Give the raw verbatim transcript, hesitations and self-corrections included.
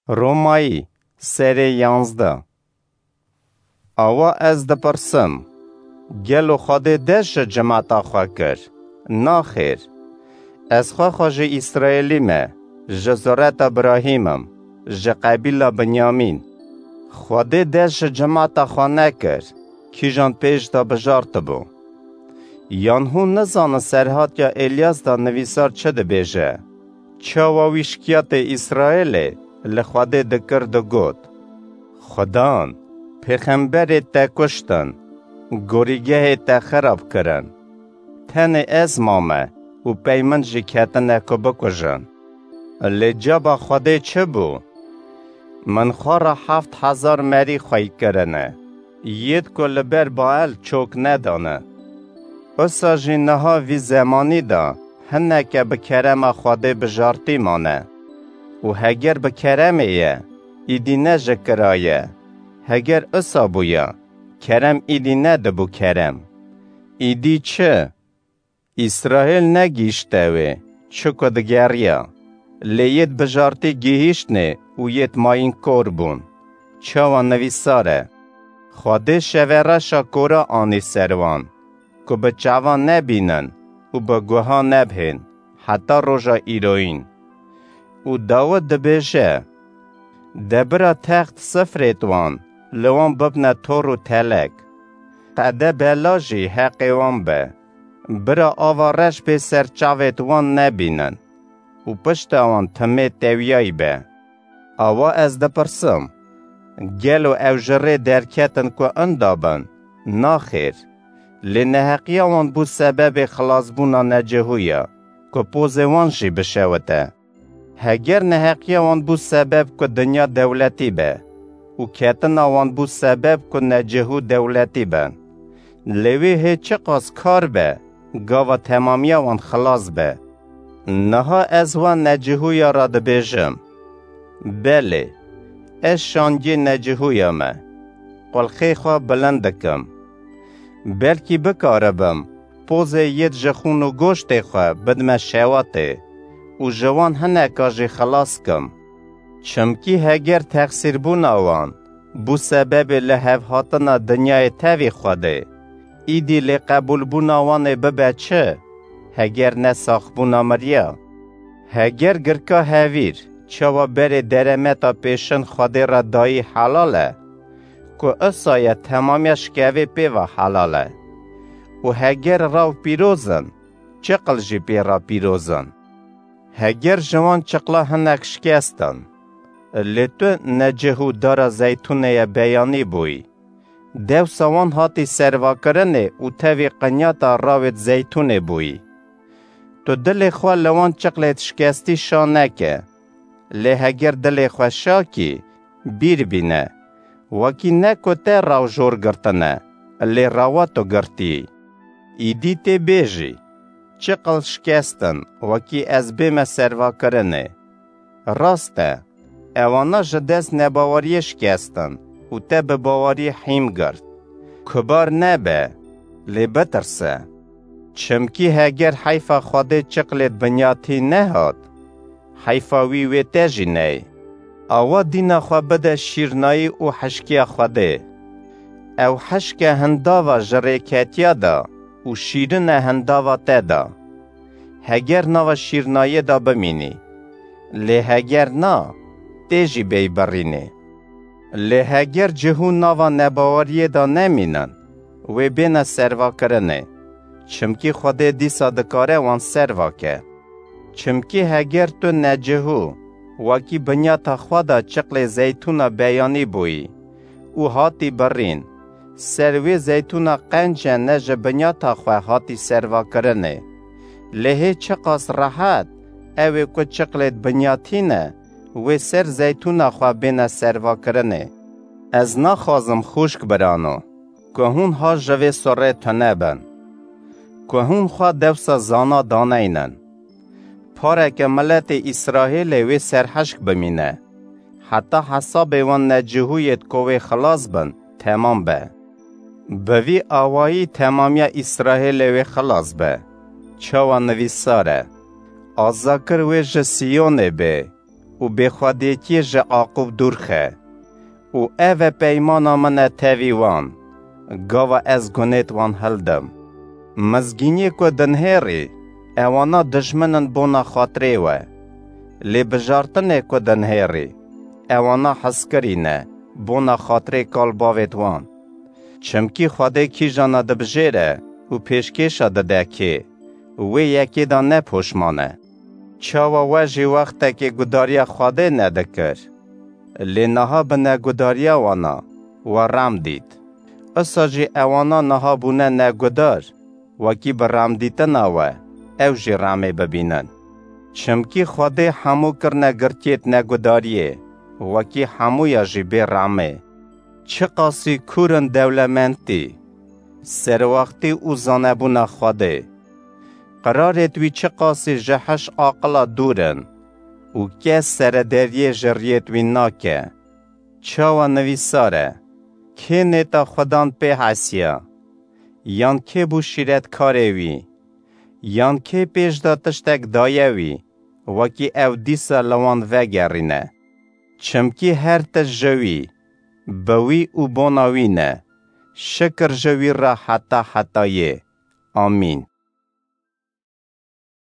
Romayî, serê yanzdeh. Awa ez dipirsim, gelo Xwedê dest ji cimeta xwe kir? Naxêr. Ez xwe xwe ji Îsraêlî me, ji zureta Birahîm im, ji qebîla Binyamîn. Xwedê dest ji cimeta xwe nekir, kîjan pêş de bijartibû? Yan hûn nizanin serhatiya Êlyas de nivîsar çi dibêje? Çawa wî şikiyatê Îsraêlê li Xwedê dikir, digot: Xudan, pêxemberê te kuştin, gorîgehê te xirab kirin. Tenê ez mame û pey min jî ketine ku bikujin. Lê caba Xwedê çi bû? Min xwe re heft hezar merî xwey kirine, yêd ku li ber Bael çok nedane. Usa jî niha vî zemanî de hineke bi kerema Xwedê bijartî mane. Û heger bi keremê ye, îdî ne ji kira ye. Heger usa bûya, kerem îdî nedibû kerem. Îdî çi? Îsraêl negihîşte wê, çiku digeriya. Lê yêd bijartî gihîştnê û yêd mayîn kor bûn. Çawa nivîsar e: Xwedê şevereşa kora anî ser wan, ku bi çavan nebînin û bi guha nebihên, heta roja îroyîn. Û Dawid dibêje: De bira text sifrêd wan, li wan bibne tor û telek. Qede bela jî heqê wan be. Bira ava reş bê ser çavêd wan nebînin û pişta wan timê tewiyayî be. Awa ez dipirsim, gelo ew ji rê derketin ku inda bin? Naxêr. Lê neheqiya wan bû sebebê xilasbûna necihûya, ku pozê wan jî bişewite. Heger neheqiya wan bû sebeb ku dinya dewletî be û ketina wan bû sebeb ku necihû dewletî bin, lê wê hê çiqas kar be, gava temamiya wan xilas be. Niha ez wan necihûya re dibêjim: Belê, ez şangê necihûya me, qulxê xwe bilind dikim. Belkî bikaribim pozê yêd ji xûn û goştê xwe bidime şewatê û ji wan hineka jî xilas kim. Çimkî heger texsîrbûna wan bû sebebê lihevhatina dinyayê tevî Xwedê, îdî lê qebûlbûna wan ê bibe çi, heger ne saxbûna miriya? Heger girka hevîr çawa berê deremeta pêşin Xwedê re dayî helal e, ku usa ye temamiya şikevê pê ve helal e. Û heger raw pîroz in, çiqil jî pê re pîroz in. Heger ji wan çiqla hinek şikestin, lê tu necih û dara zeytûnê ye beyanî bûyî. Dewsa wan hatî servakirinê û tevî qinyata rawêd zeytûnê bûyî. Tu dilê xwe li wan çiqlêd şikestî şa neke. Lê heger dilê xwe şa kî, bîr bîne, wekî ne ku te raw jor girtine, lê rawa tu girtî. Îdî tê bêjî: Çiqil şikestin, wekî ez bême servakirinê. Rast e, ewana ji dest nebaweriyê şikestin û te bi baweriyê hîm girt. Kubar nebe, lê bitirse. Çimkî heger heyfa Xwedê çiqlêd binyatî nehat, heyfa wî wê te jî ney. Awa dîna xwe bide şîrnayî û hişkiya Xwedê. Ew hişke hindava ji rêketiya de û şîrin e hindava te de. Heger nava şîrnayê de bimînî, lê heger na, tê jî bêy birînê. Lê heger cihû nava nebaweriyê de nemînin, wê bêne servakirinê, çimkî Xwedê dîsa dikare wan serva ke. Çimkî heger tu necihû, wekî binyata xwe de çiqlê zeytûna beyanî bûyî û hatî birîn, ser wê zeytûna qenc e ne ji binyata xwe hatî servakirinê. Lê hê çiqas rehet ew ê ku çiqlêd binyatî ne, wê ser zeytûna xwe bêne servakirinê. Ez naxwazim xûşk birano, ku hûn ha ji vê surê tune bin, ku hûn xwe dewsa zana daneynin. Pareke miletê Îsraêlê wê serhişk bimîne, heta hesabê wan necihûyêd ku wê xilas bin, temam be. Bi vî awayî temamiya Îsraêlê wê xilas be. Çawa nivîsar e: Azakir wê ji Siyonê bê û bêxwediyekiyê ji Aqûb dûr xe. Û ev e peymana min e tevî wan, gava ez gunêt wan hildim. Mizgîniyê ku dinhêrî, ewana dijmin in bona xatirê we. Lê bijartinê ku dinhêrî, ewana hizkirî ne, bona xatirê kal bavêt wan. Çimkî Xwedê kîjana dibijêre û pêşkêşa dide kê, wê yekê de ne poşman e. Çawa we jî wextekê gudariya Xwedê nedikir? Lê niha bi negudariya wana we rem dît. Isa jî ewana niha bûne negudar, wekî bi remdîtina we ew jî remê bibînin. Çimkî Xwedê hemû kirine girtiyêt negudariyê, wekî hemûya jî bê remê. Çiqasî kûr in dewlemendtî, serwextî û zanebûna Xwedê. Qirarêt wî çiqasî ji heş aqila dûr in û kes serederiyê ji riyêt wî nake. Çawa nivîsar e, kê nêta Xudan pê hesiya? Yan kê bû şîretkarê wî? Yan kê pêş de tiştek daye wî, wekî ew dîsa li wan vegerîne? Çimkî her tişt ji wî, bi wî û bona wî ne. Şikir ji wî re heta hetayê. Amîn.